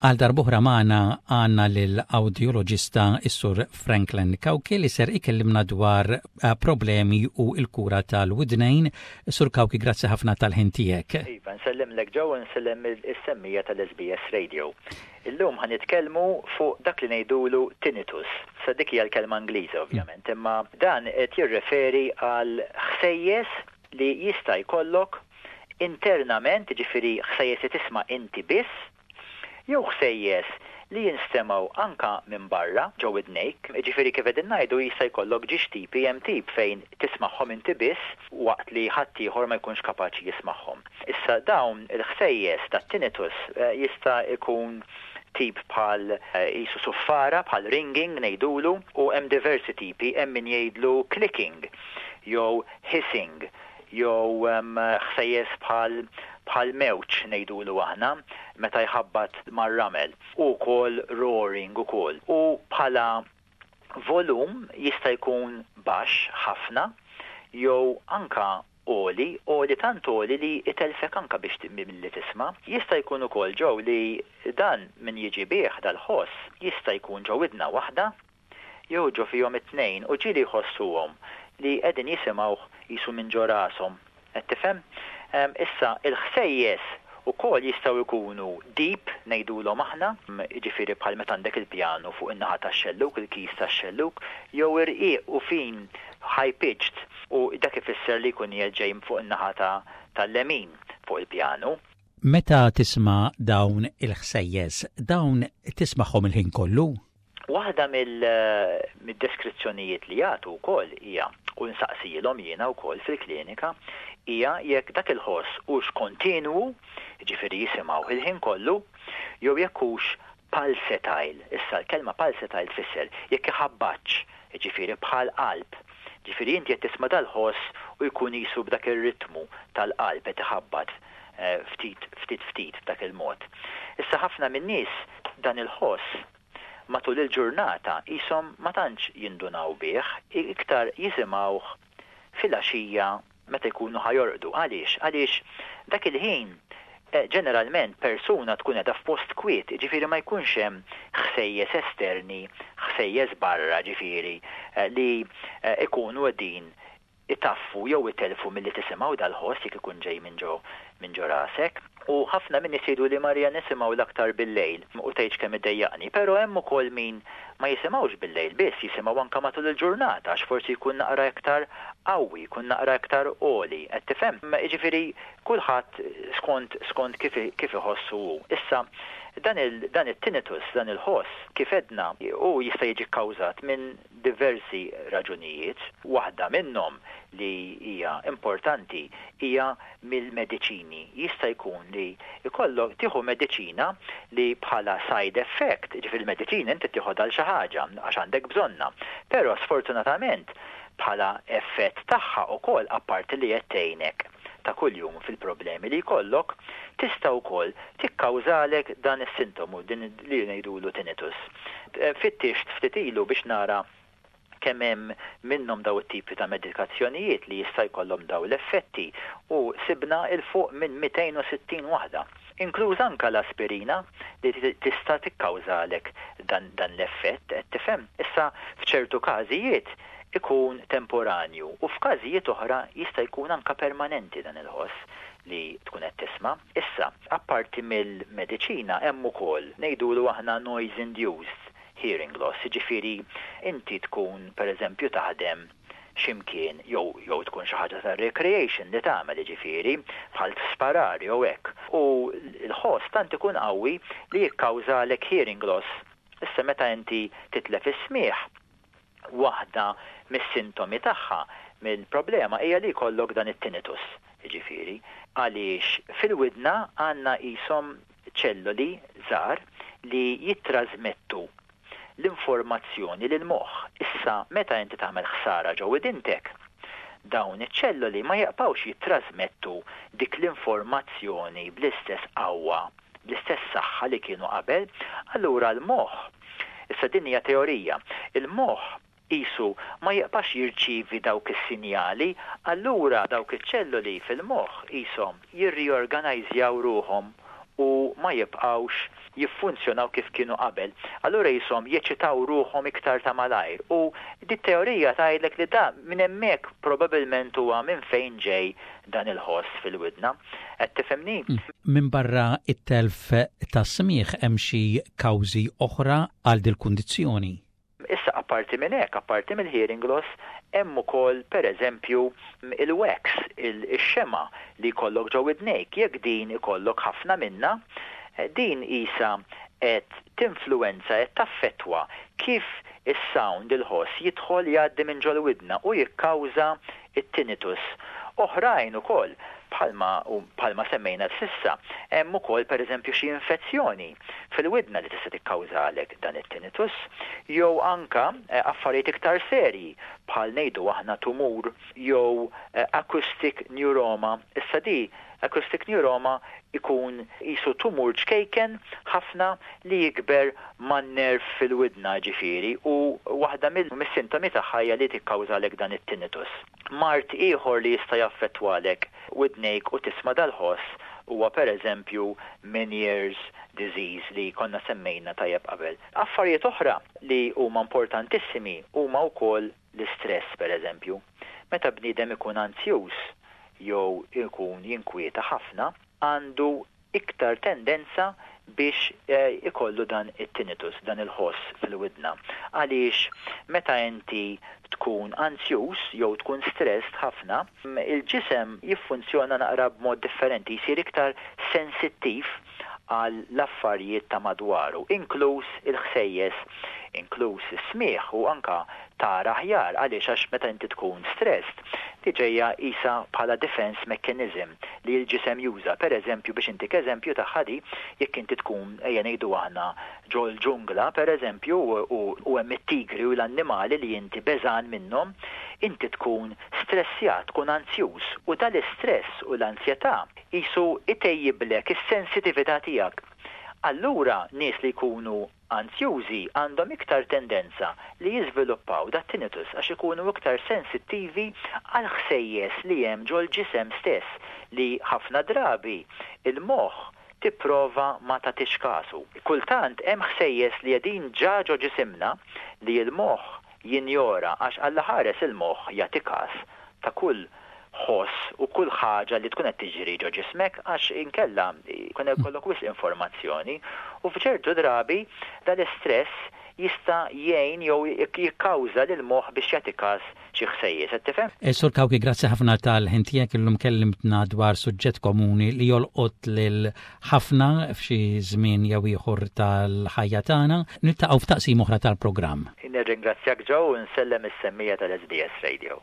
Għal darb'oħra magħna għandna lill-awdjoloġista s-Sur Franklin Cauchi li ser ikellimna dwar eh, problemi u l-kura tal-widnejn. Sur Cauchi, grazzi ħafna tal-ħin tiegħek. Iva, nsellimlek Joe u nsellem is-semmiegħa tal-SBS Radio. Illum ħa nitkellmu fuq dak li ngħidulu tinnitus. Sa dik hija l-kelma Ingliża ovvjament, imma dan qed jirreferi għal ħsejjes li jista' jkollok internament, jiġifieri ħsejjes li tisma' inti biss, jew ħsejjes li jinstemgħu anke minn barra ġo widnejk. Jiġifieri kif qegħdin ngħidu jista' jkollok ġiex tipi, hemm tip fejn tismagħhom inti biss waqt li ħaddieħor ma jkunx kapaċi jismagħhom. Issa dawn il-ħsejjes tat-tinnitus jista' jkun tip bħal qisu suffara, bħal ringing ngħidulu, u hemm diversi tipi, hemm min jgħidlu clicking jew hissing jew ħsejjes bħal bħal mewġ ngħidulu aħna meta jħabbat mar-ramel u wkoll roaring ukoll. U bħala volum jista' jkun baxx ħafna jew anka għoli, għoli tant għoli li jtellfek anka biex milli tisma'. Jista' jkun ukoll ġew li dan min jiġi bih dal-ħoss jista' jkun ġo widna waħda jew ġo fihom it-tnejn u ġieli jħossuhom li qegħdin jisimgħuh qisu minn ġo rashom. Qed tifhem? Issa, il-ħsejjes ukoll jistgħu jkunu deep ngħidulhom aħna, jiġifieri bħal meta għandek il-pjanu fuq in-naħa tax-xellug, il-keys tax-xellug, jew irqiq u fin high pitched u dak ifisser li jkun qiegħed ġej fuq in-naħa tal-lemin fuq il-pjanu. Meta tisma' dawn il-ħsejjes, dawn tismagħhom il-ħin kollu? Waħda mid-deskrizzjonijiet li jagħtu wkoll hija, u nsaqsielhom jiena wkoll fil-klinika, hija jekk dak il-ħoss hux kontinwu, jiġifieri jisimgħuh il-ħin kollu, jew jekk hux pulsatile. Issa l-kelma pulsatile tfisser jekk iħabbatx, jiġifieri bħal qalb. Jiġifieri inti qed tisma' dal-ħoss u jkun qisu b'dak ir-ritmu tal-qalb qed iħabbat ftit ftit ftit b'dak il-mod. Issa ħafna min-nies dan il-ħoss matul il-ġurnata qishom ma tantx jindunaw bih, iktar jisimgħuh filgħaxija meta jkunu ħa jorqdu. Għaliex? Għaliex dak il-ħin ġeneralment persuna tkun qiegħda f'post kwiet, jiġifieri ma jkunx hemm ħsejjes esterni, ħsejjes barra ġifieri li jkunu qegħdin itaffu jew itellfu milli tisimgħu dal-ħoss jekk ikun ġej minn ġo minn ġo rasek. U ħafna min-nies jgħiduli Maria nisimgħu l-aktar bil-lejl u tgħidx kemm iddejjaqni. Però hemm ukoll min ma jisimgħux bil-lejl biss, jisimgħu anke matul il-ġurnata għax forsi jkun naqra iktar qawwi, jkun naqra iktar għoli. Qed tifhem? Jiġifieri kulħadd skont skont kif kif iħossu hu. Issa dan il dan it-tinnitus, dan il-ħoss, kif għedna, hu jista' jiġi kkawżat minn diversi raġunijiet, waħda minnhom li hija importanti hija mill-mediċini. Jista' jkun li jkollok tieħu mediċina li bħala side effect, jiġifieri l-mediċina inti tieħodha għal xi ħaġa għax għandek bżonnha, però sfortunatament bħala effett tagħha wkoll apparti li qed tgħinek ta' kuljum fil-problemi li jkollok, tista' wkoll tikkawżalek dan is-sintomu, din li ngħidulu tinnitus. Fittixt ftit ilu biex nara kemm hemm minnhom daw it-tipi ta' medikazzjonijiet li jista' jkollhom daw l-effetti u sibna 'l fuq minn 260 waħda. Inkluż anke l-aspirina li tista' tikkawżalek dan dan l-effett, qed tifhem? Issa f'ċertu każijiet ikun temporanju u f'każijiet oħra jista' jkun anke permanenti dan il-ħoss li tkun qed tisma'. Issa, apparti mill-mediċina hemm ukoll, ngħidulu aħna noise induced hearing loss, jiġifieri inti tkun pereżempju taħdem xi mkien jew jew tkun xi ħaġa ta' recreation li tagħmel jiġifieri bħal sparar jew hekk u l-ħoss tant ikun qawwi li jikkawżalek hearing loss. Issa meta inti titlef is-smigħ, Waħda mis-sintomi tagħha, mill-problema, hija li jkollok dan it-tinnitus, jiġifieri, għaliex fil-widna għandna qishom ċelloli żgħar li jittrażmettu l-informazzjoni lill-moħħ. Issa, meta inti tagħmel ħsara ġo widintek, dawn iċ-ċelloli ma jibqgħux jittrażmettu dik l-informazzjoni bl-istess qawwa bl-istess saħħa li kienu qabel, allura l-moħħ, issa din hija teorija, il-moħħ qisu ma jibqax jirċievi dawk is-sinjali, allura dawk iċ-ċelloli fil-moħħ qishom jirriorganajżjaw ruħhom u ma jibqgħux. jiffunzjonaw kif kienu qabel. Allura jisom jeċitaw ruħhom iktar ta' malajr u dit-teorija tgħidlek li da minn hemmhekk probabbilment huwa minn fejn ġej dan il-ħoss fil-widna. Qed tifhimni? Minbarra it-telf tas-smigħ hemm xi kawżi oħra għal dil-kundizzjoni? Issa apparti minn hekk, apparti mill-hearing loss, hemm ukoll pereżempju il-wax, ix-xema li jkollok ġo widnejk. Jekk din ikollok ħafna minna, din isa qed tinfluwenza, qed taffettwa kif is-sound, il-ħoss jidħol jgħaddi minn ġol-widna u jikkawża it-tinnitus. Oħrajn ukoll bħalma bħalma semmejna s'issa, hemm ukoll pereżempju xi infezzjoni fil-widna li tista' tikkawżalek dan it-tinnitus, jew anka affarijiet iktar serji bħal ngħidu aħna tumur jew acoustic neuroma. Issa di acoustic neuroma ikun qisu tumur ċkejken ħafna li jikber man-nerv fil-widna ġifieri u waħda mis-sintomi tagħha hija li tikkawżalek dan it-tinnitus. Mard ieħor li jista' jaffettwalek widnejk u tisma' dal-ħoss huwa pereżempju Meniere's disease li konna semmejna tajjeb qabel. Affarijiet oħra li huma importantissimi huma wkoll l-istress pereżempju. Meta bniedem ikun anzjuż jew ikun jinkwieta ħafna, għandu iktar tendenza biex ikollu dan it-tinnitus, dan il-ħoss fil-widna. Għaliex meta inti tkun anzjuż jew tkun stressed ħafna, il-ġisem jiffunzjona naqra b'mod differenti, jsir iktar sensittiv għal l-affarijiet ta' madwaru, inkluż il-ħsejjes, inkluż is-smigħ u anka tara aħjar. Għaliex? Għax meta inti tkun stressed, di ġejja isa bħala defense mechanism li l-ġisem juża. Per eżempju, biex intik eżempju ta' di, jekk inti tkun, ejja ngħidu aħna, ġol-ġungla, per eżempju, u hemm it-tigri u l-annimali li inti beżan minnhom, inti tkun stressjat, tkun anzjuż u dal-istress u l-ansjetà jisu itejjiblek is-sensitività tiegħek. Allura nies li jkunu anzjużi għandhom iktar tendenza li jiżviluppaw dat tinnitus għax ikunu iktar sensittivi għal ħsejjes li hemm ġol-ġisem stess li ħafna drabi il-moħħ tipprova ma tagħtix kasu. Kultant hemm ħsejjes li qegħdin ġa ġo ġisimna li l-moħħ jinjora għax Alla ħares il-moħħ jagħti kas ta' kull ħoss u kull ħaġa li tkun qed tiġri ġo ġismek għax inkella jkun ikollok wisq informazzjoni u f'ċertu drabi dal-istress jista' jgħin jew jikkawża lil moħħ biex jagħti każ xi ħsejjes, qed tifhem? Sur Cauchi, grazzi ħafna tal-ħin tiegħek illum kellimtna dwar suġġett komuni li jolqot lil ħafna f'xi żmien jew ieħor tal-ħajja tagħna. Niltaqgħu f'taqsim oħra tal-programm. Nirringrazzjak Joe u nsellem is-semmiegħa tal-SBS Radio.